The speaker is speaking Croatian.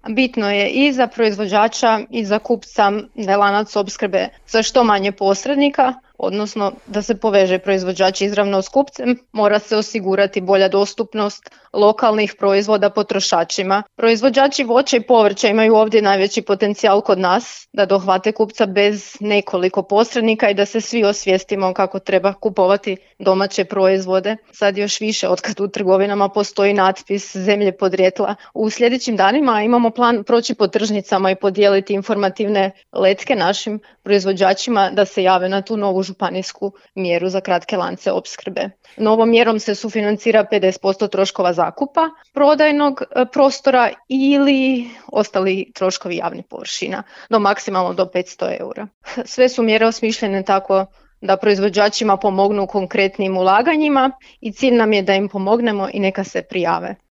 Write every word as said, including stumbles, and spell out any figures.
Bitno je i za proizvođača i za kupca da je lanac opskrbe sa što manje posrednika, odnosno da se poveže proizvođač izravno s kupcem, mora se osigurati bolja dostupnost lokalnih proizvoda potrošačima. Proizvođači voća i povrća imaju ovdje najveći potencijal kod nas da dohvate kupca bez nekoliko posrednika i da se svi osvijestimo kako treba kupovati domaće proizvode. Sad još više otkad u trgovinama postoji natpis zemlje podrijetla. U sljedećim danima imamo plan proći po tržnicama i podijeliti informativne letke našim proizvođačima da se jave na tu novu županijsku mjeru za kratke lance opskrbe. Novom mjerom se sufinancira pedeset posto troškova zakupa prodajnog prostora ili ostali troškovi javnih površina, do maksimalno do petsto eura. Sve su mjere osmišljene tako da proizvođačima pomognu konkretnim ulaganjima i cilj nam je da im pomognemo i neka se prijave.